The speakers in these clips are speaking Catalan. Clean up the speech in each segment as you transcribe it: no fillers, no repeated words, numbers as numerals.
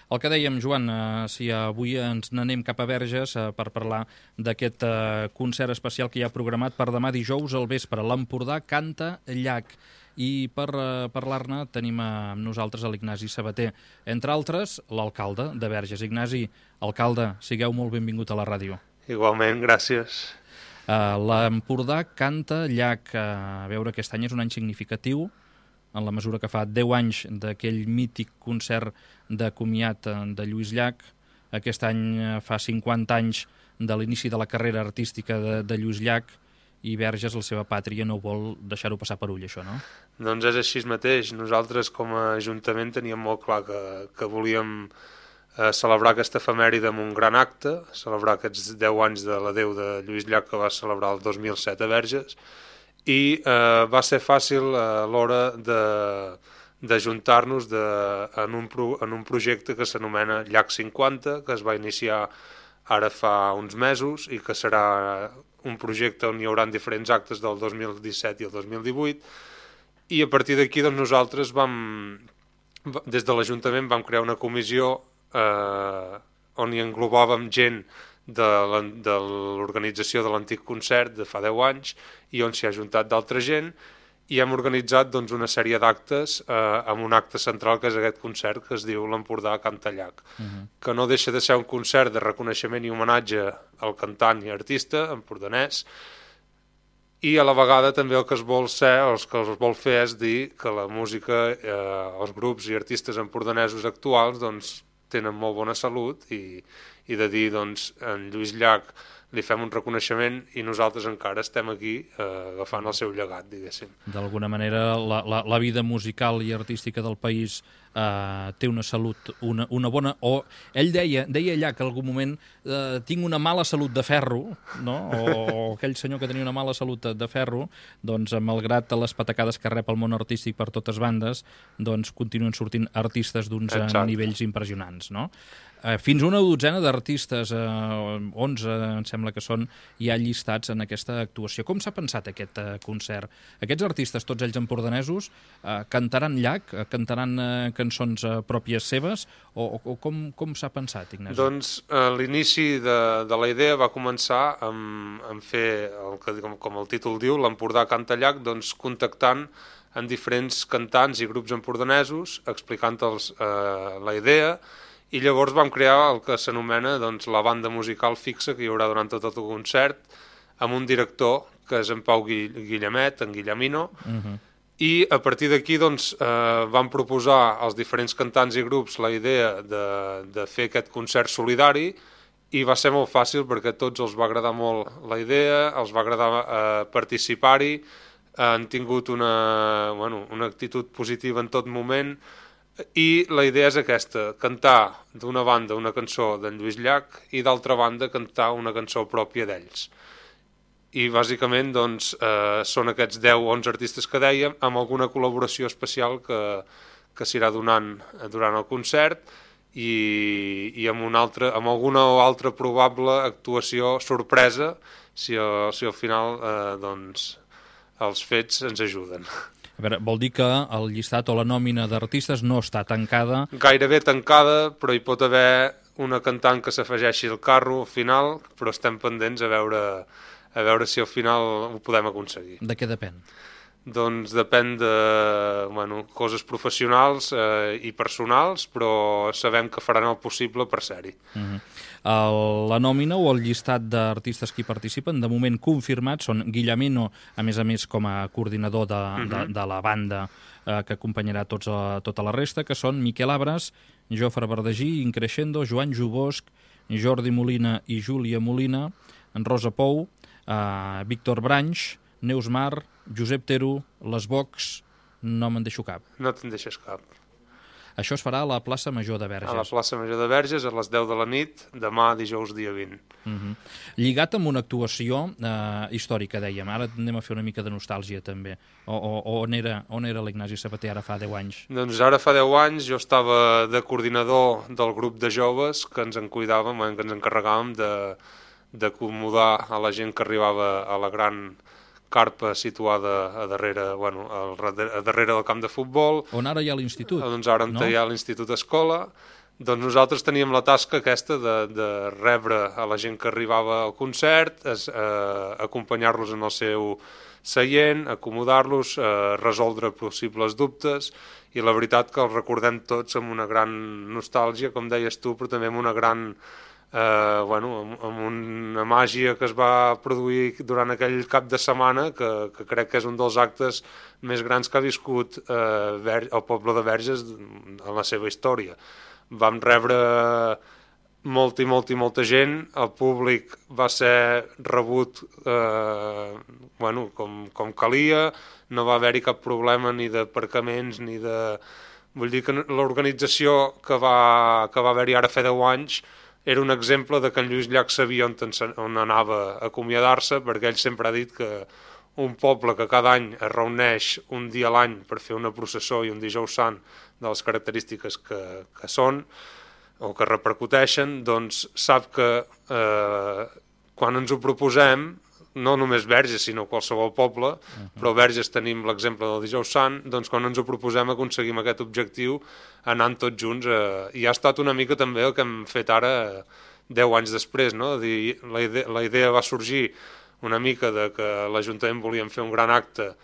El que dèiem, Joan, si avui ens n'anem cap a Verges per parlar d'aquest concert especial que hi ha programat per demà dijous al vespre. L'Empordà canta llac. I per parlar-ne tenim amb nosaltres l'Ignasi Sabater. Entre altres, l'alcalde de Verges. Ignasi, alcalde, sigueu molt benvingut a la ràdio. Igualment, gràcies. L'Empordà canta llac. A veure, aquest any és un any significatiu, en la mesura que fa 10 anys d'aquell mític concert de comiat de Lluís Llach. Aquest any fa 50 anys de l'inici de la carrera artística de Lluís Llach, i Verges, la seva pàtria, no vol deixar-ho passar per ull, això, no? Doncs és així mateix. Nosaltres, com a Ajuntament, teníem molt clar que volíem celebrar aquesta efemèride amb un gran acte, celebrar aquests 10 anys de l'adeu de Lluís Llach, que va celebrar el 2007 a Verges, i va ser fàcil a l'hora d'ajuntar-nos en un projecte que s'anomena Llach 50, que es va iniciar ara fa uns mesos i que serà un projecte on hi haurà diferents actes del 2017 i el 2018, i a partir d'aquí doncs, nosaltres des de l'Ajuntament vam crear una comissió on hi englobàvem gent de l'organització de l'antic concert de fa 10 anys i on s'hi ha ajuntat d'altra gent, i hem organitzat doncs, una sèrie d'actes amb un acte central que és aquest concert que es diu l'Empordà canta llac, que no deixa de ser un concert de reconeixement i homenatge al cantant i artista empordanès, i a la vegada també el que es vol fer és dir que la música, els grups i artistes empordanesos actuals doncs, tenen molt bona salut, i de dir doncs, en Lluís Llach li fem un reconeixement i nosaltres encara estem aquí agafant el seu llegat, diguéssim. D'alguna manera, la vida musical i artística del país té una salut, una bona... O ell deia allà que en algun moment tinc una mala salut de ferro, no? O aquell senyor que tenia una mala salut de ferro, doncs, malgrat les patacades que rep el món artístic per totes bandes, doncs continuen sortint artistes d'uns nivells impressionants, no? Fins una dotzena d'artistes, 11 em sembla que són, ja llistats en aquesta actuació. Com s'ha pensat aquest concert? Aquests artistes, tots ells empordanesos, cantaran llac, cantaran cançons pròpies seves, o com s'ha pensat, Ignasi? Doncs l'inici de la idea va començar amb fer, com el títol diu, l'Empordà canta llac, doncs contactant amb diferents cantants i grups empordanesos, explicant-los la idea, i llavors vam crear el que s'anomena doncs, la banda musical fixa que hi haurà durant tot el concert, amb un director que és en Pau Guillemet, en Guillemino, i a partir d'aquí doncs, vam proposar als diferents cantants i grups la idea de fer aquest concert solidari, i va ser molt fàcil perquè a tots els va agradar molt la idea, els va agradar participar-hi, han tingut una actitud positiva en tot moment, i la idea és aquesta, cantar d'una banda una cançó d'en Lluís Llach i d'altra banda cantar una cançó pròpia d'ells. I bàsicament doncs, són aquests 10-11 artistes que dèiem, amb alguna col·laboració especial que s'irà donant durant el concert i amb alguna o altra probable actuació sorpresa si al final doncs, els fets ens ajuden. A veure, vol dir que el llistat o la nòmina d'artistes no està tancada? Gairebé tancada, però hi pot haver una cantant que s'afegeixi al carro al final, però estem pendents a veure si al final ho podem aconseguir. De què depèn? Doncs depèn de coses professionals i personals, però sabem que faran el possible per ser-hi. La nòmina o el llistat d'artistes que hi participen, de moment confirmats, són Guillemino, a més com a coordinador de la banda que acompanyarà tota la resta, que són Miquel Abres, Jofre Verdagí, Increixendo, Joan Jubosc, Jordi Molina i Júlia Molina, en Rosa Pou, Víctor Branch, Neus Mar, Josep Tero, Les Vox, no me'n deixo cap. No te'n deixes cap. Això es farà a la plaça Major de Verges. A la plaça Major de Verges, a les 10 de la nit, demà, dijous, dia 20. Lligat amb una actuació històrica, dèiem. Ara anem a fer una mica de nostàlgia, també. On era l'Ignasi Sabater ara fa 10 anys? Doncs ara fa 10 anys jo estava de coordinador del grup de joves que ens en cuidàvem, que ens encarregàvem d'acomodar a la gent que arribava a la gran carpa situada a darrere del camp de futbol. On ara hi ha l'institut. Doncs ara hi ha l'Institut Escola, doncs nosaltres teníem la tasca aquesta de rebre a la gent que arribava al concert, acompanyar-los en el seu seient, acomodar-los, resoldre possibles dubtes, i la veritat que els recordem tots amb una gran nostàlgia, com deies tu, però també amb una gran... amb una màgia que es va produir durant aquell cap de setmana que crec que és un dels actes més grans que ha viscut el poble de Verges en la seva història. Vam rebre molta gent, el públic va ser rebut com calia, no va haver-hi cap problema ni d'aparcaments ni de... Vull dir que l'organització que va haver-hi ara fa 10 anys era un exemple de que en Lluís Llach sabia on anava a acomiadar-se, perquè ell sempre ha dit que un poble que cada any es reuneix un dia a l'any per fer una processó i un dijous sant de les característiques que són o que repercuteixen, doncs sap que quan ens ho proposem, no només Verges, sinó qualsevol poble, però a Verges tenim l'exemple del dijous sant, doncs quan ens ho proposem aconseguim aquest objectiu anant tots junts, i ha estat una mica també el que hem fet ara 10 anys després, no? La idea va sorgir una mica de que l'Ajuntament volíem fer un gran acte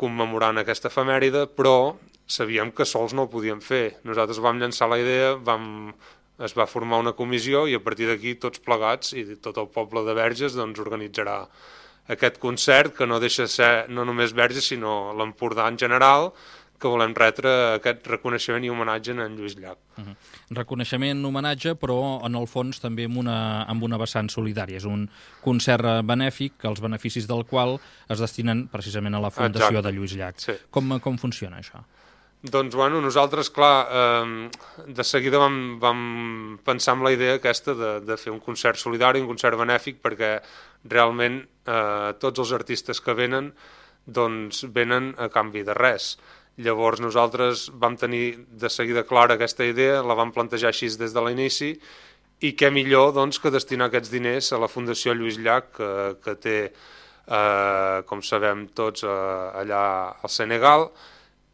commemorant aquesta efemèride, però sabíem que sols no ho podíem fer. Nosaltres vam llançar la idea, es va formar una comissió i a partir d'aquí tots plegats i tot el poble de Verges doncs, organitzarà aquest concert que no deixa de ser no només Verges sinó l'Empordà en general, que volem retre aquest reconeixement i homenatge a en Lluís Llach. Reconeixement, homenatge, però en el fons també amb una vessant solidària. És un concert benèfic, els beneficis del qual es destinen precisament a la Fundació de Lluís Llach. Sí. Com funciona això? Doncs, nosaltres, clar, de seguida vam pensar en la idea aquesta de fer un concert solidari, un concert benèfic, perquè realment tots els artistes que venen, doncs venen a canvi de res. Llavors nosaltres vam tenir de seguida clara aquesta idea, la vam plantejar així des de l'inici, i què millor doncs, que destinar aquests diners a la Fundació Lluís Llach, que té, com sabem tots, allà al Senegal,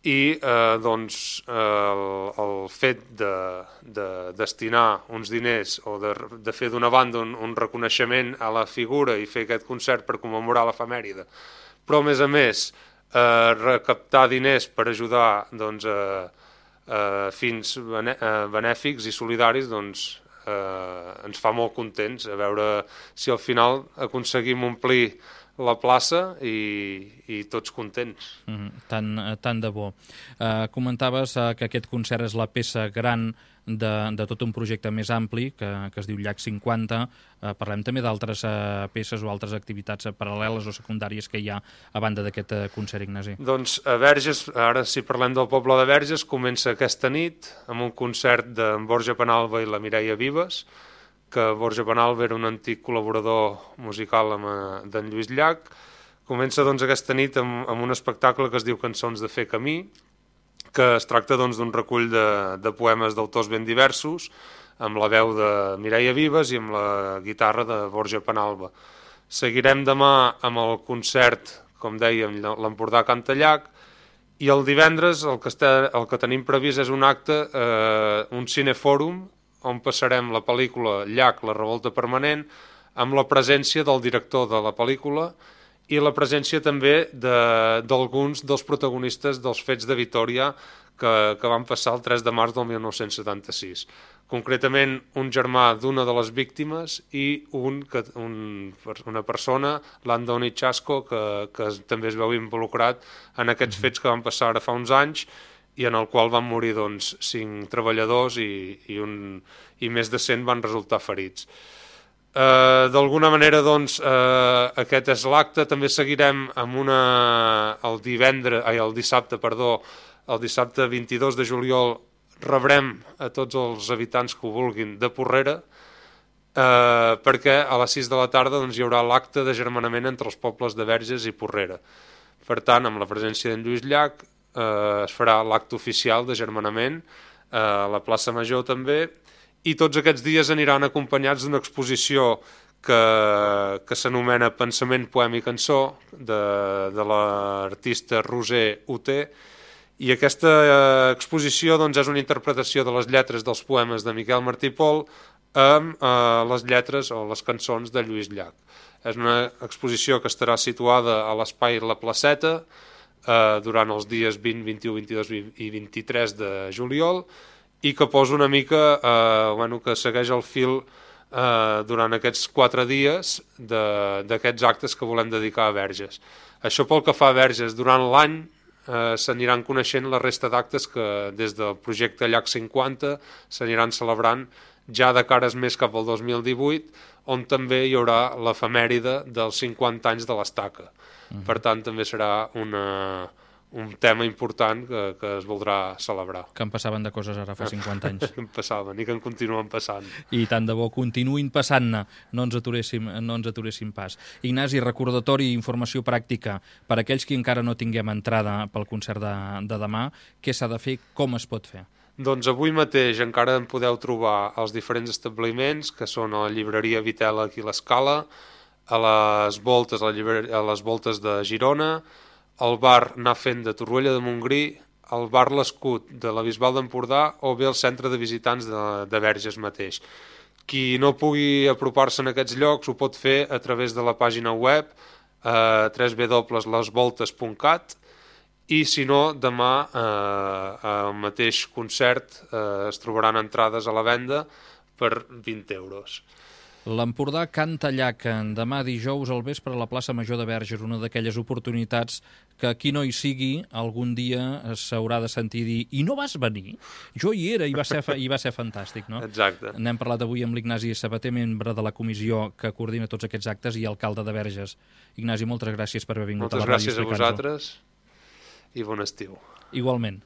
i doncs el fet de destinar uns diners o de fer d'una banda un reconeixement a la figura i fer aquest concert per commemorar l'efemèride, però a més recaptar diners per ajudar doncs, fins benèfics i solidaris, doncs ens fa molt contents a veure si al final aconseguim omplir la plaça i tots contents. Tant de bo. Comentaves que aquest concert és la peça gran de tot un projecte més ampli que es diu Llach 50. Parlem també d'altres peces o altres activitats paral·leles o secundàries que hi ha a banda d'aquest concert, Ignasi. Doncs a Verges, ara si parlem del poble de Verges, comença aquesta nit amb un concert d'en Borja Penalba i la Mireia Vives, que Borja Penalba era un antic col·laborador musical d'en Lluís Llach. Comença doncs, aquesta nit amb un espectacle que es diu Cançons de fer camí, que es tracta doncs, d'un recull de poemes d'autors ben diversos, amb la veu de Mireia Vives i amb la guitarra de Borja Penalba. Seguirem demà amb el concert, com dèiem, l'Empordà canta Llach, i el divendres el que tenim previst és un acte, un cinefòrum, on passarem la pel·lícula Llach, la revolta permanent, amb la presència del director de la pel·lícula i la presència també d'alguns dels protagonistes dels fets de Vitòria que van passar el 3 de març del 1976. Concretament, un germà d'una de les víctimes i una persona, l'Andoni Chasco, que també es veu involucrat en aquests fets que van passar ara fa uns anys i en el qual van morir doncs, 5 treballadors i més de 100 van resultar ferits. D'alguna manera, doncs, aquest és l'acte. També seguirem amb el dissabte 22 de juliol rebrem a tots els habitants que ho vulguin de Porrera, perquè a les 6 de la tarda doncs, hi haurà l'acte de germanament entre els pobles de Verges i Porrera. Per tant, amb la presència d'en Lluís Llach, es farà l'acte oficial de germanament a la plaça Major també, i tots aquests dies aniran acompanyats d'una exposició que s'anomena Pensament, poema i cançó de l'artista Roser Uté, I aquesta exposició doncs, és una interpretació de les lletres dels poemes de Miquel Martí i Pol amb les lletres o les cançons de Lluís Llach. És una exposició que estarà situada a l'espai La Placeta durant els dies 20, 21, 22 i 23 de juliol i que posa una mica, que segueix el fil durant aquests 4 dies d'aquests actes que volem dedicar a Verges. Això pel que fa a Verges, durant l'any s'aniran coneixent la resta d'actes que des del projecte Llach 50 s'aniran celebrant ja de cares més cap al 2018, on també hi haurà l'efemèride dels 50 anys de l'Estaca. Per tant, també serà un tema important que es voldrà celebrar. Que en passaven de coses ara fa 50 anys. Que en passaven i que en continuen passant. I tant de bo continuïn passant-ne, no ens aturéssim pas. Ignasi, recordatori i informació pràctica per a aquells que encara no tinguem entrada pel concert de demà, què s'ha de fer, com es pot fer? Doncs avui mateix encara en podeu trobar als diferents establiments, que són a la llibreria Vitela aquí a l'Escala, a les voltes de Girona, al bar Anar Fent de Torroella de Montgrí, al bar L'Escut de la Bisbal d'Empordà o bé al centre de visitants de Verges mateix. Qui no pugui apropar-se en aquests llocs ho pot fer a través de la pàgina web www.lesvoltes.cat i si no, demà al mateix concert es trobaran entrades a la venda per 20 euros. L'Empordà canta Llach demà dijous al vespre a la plaça Major de Verges, una d'aquelles oportunitats que qui no hi sigui algun dia s'haurà de sentir dir i no vas venir? Jo hi era i va ser fantàstic, no? Exacte. N'hem parlat avui amb l'Ignasi Sabater, membre de la comissió que coordina tots aquests actes i alcalde de Verges. Ignasi, moltes gràcies per haver vingut a la ràdio. Moltes gràcies a vosaltres i bon estiu. Igualment.